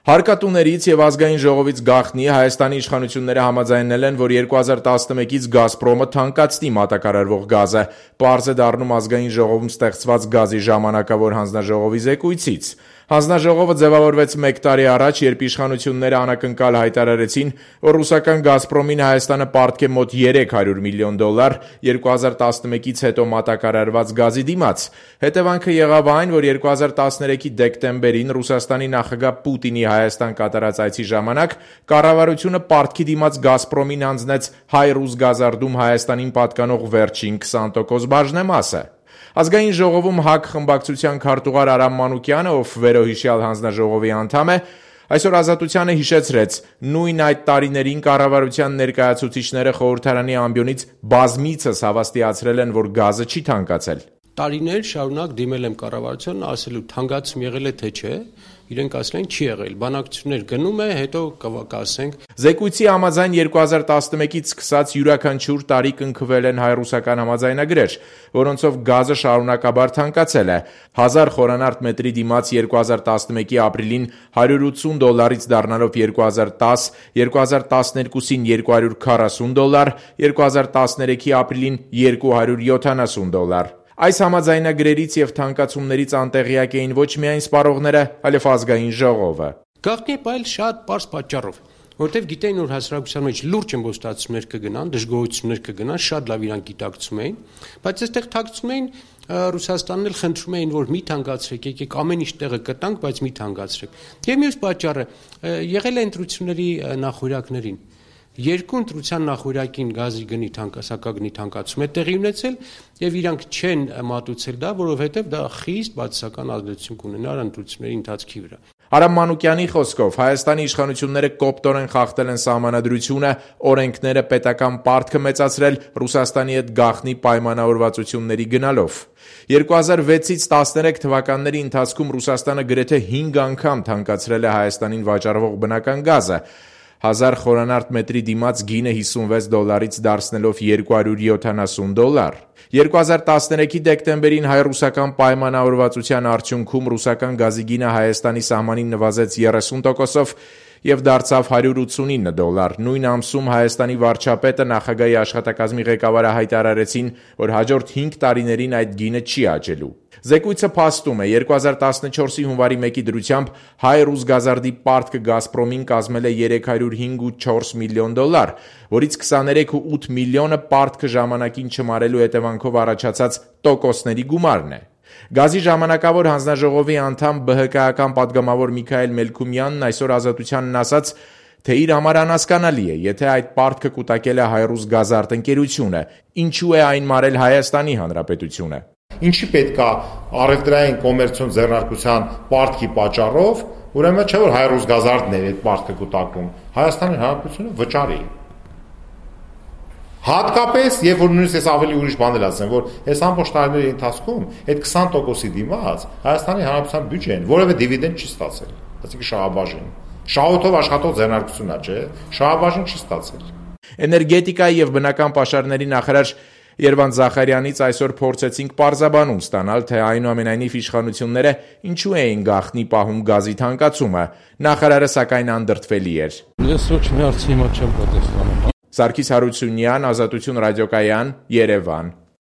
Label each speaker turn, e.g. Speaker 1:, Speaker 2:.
Speaker 1: Հարկատուներից եւ ազգային ժողովից գաղտնի Հայաստանի իշխանությունները համաձայնել են, որ 2011-ից Գազպրոմը թանկացնի մատակարարվող գազը, պարզ է դառնում ազգային ժողովում ստեղծված գազի ժամանակավոր հանձնաժողովի զեկույցից։ Հանձնաժողովը ձևավորվեց 1 տարի առաջ, երբ իշխանությունները անակնկալ հայտարարեցին, որ ռուսական Գազպրոմին Հայաստանը պարտք է մոտ $300 միլիոն 2011-ից հետո մատակարարված գազի դիմաց։ Հետևանքը եղավ այն, որ 2013-ի դեկտեմբերին Ռուսաստանի նախագահ Պուտինի Հայաստան կատարած այցի ժամանակ կառավարությունը պարտքի դիմաց Գազպրոմին հանձնեց հայ-ռուս գազարդում Հայաստանին պատկանող վերջին 20% բաժնեմասը։ Ազգային ժողովում ՀԱԿ խմբակցության քարտուղար Արամ Մանուկյանը, ով վերոհիշյալ հանձնաժողովի անդամ է, այսօր Ազատությանը հիշեցրեց, նույն այդ տարիներին կառավարության ներկայացուցիչները խորհրդարանի ամբիոնից բազմիցս հավաստիացրել են, որ գազը չի թանկացել։
Speaker 2: Տարիներ շարունակ դիմել եմ կառավարությանն, ասելու թանկացում եղել է թե չէ, իրենք ասել են չի եղել, բանակցություններ գնում է, հետո կասենք։
Speaker 1: Զեկույցի համաձայն 2011-ից սկսած յուրաքանչյուր տարի կնքվել են հայ-ռուսական համաձայնագրեր, որոնցով գազը շարունակաբար թանկացել է։ 1000 խորանարդ մետրի դիմաց 2011-ի ապրիլին $180-ից դառնալով 2010, 2012-ին $240, 2013-ի ապրիլին $270։ Այս համաձայնագրերից եւ թանկացումներից անտեղյակ էին ոչ միայն սպառողները, այլև ազգային ժողովը։
Speaker 2: Գաղտնի է պայել շատ պարզ պատճառով, որտեվ գիտեին, որ հասարակության մեջ լուրջ ըմբոստացումներ կգնան, դժգոհություններ կգնան, շատ լավ իրանք գիտակցում էին, բայց այստեղ թաքցում էին Ռուսաստանն էլ խնդրում էին, որ մի թանկացրեք, եկեք ամեն ինչ տեղը կտանք, բայց մի թանկացրեք։ Եվ մյուս պատճառը եղել է ընտրությունների նախօրյակներին։ Երկու ընտրության նախօրյակին գազի գնի սակագնի թանկացում է տեղի ունեցել եւ իրանք չեն մատուցել դա, որովհետեւ դա խիստ բացասական ազդեցություն կունենար ընտրությունների ընթացքի վրա։
Speaker 1: Արամ Մանուկյանի խոսքով Հայաստանի իշխանությունները կոպտորեն խախտել են սահմանադրությունը, օրենքները, պետական պարտքը մեծացրել Ռուսաստանի հետ գաղտնի պայմանավորվածությունների գնալով։ 2006-ից 13 թվականների ընթացքում Ռուսաստանը գրեթե 5 անգամ թանկացրել է Հայաստանին վաճառվող բնական գազը։ 1000 խորանարդ մետրի դիմաց գինը $50-ից դարձնելով $270։ 2013-ի դեկտեմբերին հայ-ռուսական պայմանավորվածության արդյունքում ռուսական գազի գինը Հայաստանի սահմանին նվազեց 30%-ով եւ դարձավ $189։ Նույն ամսում Հայաստանի վարչապետը, նախագահի աշխատակազմի ղեկավարը հայտարարեցին, որ հաջորդ 5 տարիներին այդ գինը չի աճելու։ Զեկույցը փաստում է 2014-ի հունվարի 1-ի դրությամբ հայ-ռուս գազարդի պարտքը Գազպրոմին կազմել է $305.4 միլիոն, որից 23.8 միլիոնը պարտքը ժամանակին չմարելու հետևանքով առաջացած տոկոսների գումարն է։ Գազի ժամանակավոր հանձնաժողովի անդամ ԲՀԿ-ական պատգամավոր Միքայել Մելքումյանն այսօր Ազատությանն ասաց, թե իր համար անհասկանալի է, եթե այդ պարտքը կուտակել է հայ-ռուս գազարդ ընկերությունը, ինչու է այն մարել Հայաստանի Հանրապետությունը։
Speaker 3: Ինչի պետք է առևտրային կոմերցիոն ձեռնարկության պարտքի պատճառով, ուրեմն չէ որ հայ-ռուս գազարդն է այդ պարտքը կուտակում, Հայաստանի Հանրապետությունը վճարի։ Հատկապես, երբ որ նույնիսկ ես ավելի ուրիշ բան էլ ասեմ, որ այս ամբողջ տարիների ընթացքում այդ 20%-ի դիմաց Հայաստանի Հանրապետության բյուջեն որևէ դիվիդենդ չի ստացել, այսինքն շահաբաժին։ Շահութով աշխատող ձեռնարկությունն է, չէ՞, շահաբաժին չի ստացել։
Speaker 1: Էներգետիկայի եւ բնական պաշարների նախարար Երվանդ Զախարյանից այսօր փորձեցինք պարզաբանում ստանալ, թե այնուամենայնիվ իշխանությունները ինչու էին գաղտնի պահում գազի թանկացումը։ Նախարարը սակայն անդրդվելի էր։
Speaker 4: Ես ոչ մի հարցի հիմա չեմ պատասխանում։
Speaker 1: Սարգիս Հարությունյան, Ազատություն ռադիոկայան, Երևան։